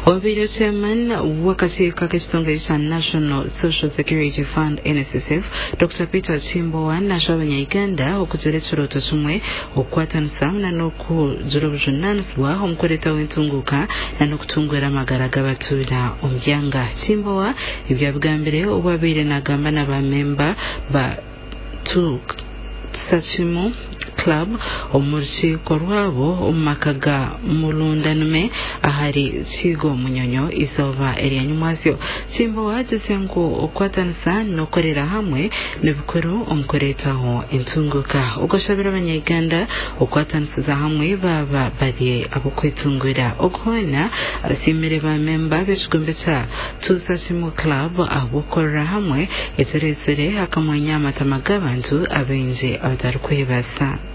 Obaire Chairman w'akakiiko ak'ekitongore kya National Social Security Fund, NSSF, Dokita Peter Kimbowa nashaba abanya-Uganda okugira ekirooto kimwe, okukwatanisa n'okugira obujunaanizibwa omu kureetaho entunguuka n'okutunguura amagara g'abatuura omu byanga. Kimbowa ebi abigambire obu abaire nagamba na ba memba ba Tusakimu Club omu rukiiko rwabo omu maka ga Mulundanume ahari Kigo Munyonyo eizooba erya nyimwazyo. Kimbowa agizire ngu okukwatanisa n'okukorera hamwe ni bikuru omu kureetaho entunguuka. Ogwo ashabire abanya-Uganda okukwatanisiza hamwe baaba bari ab'okwetungura. Ogu hoona asiimire ba memba b'ekigombe kya Tuzakimu Club ahabw'okukorera hamwe ekireetsire akamwenyo aha matama g'abantu abaingi abatarikwebaasa.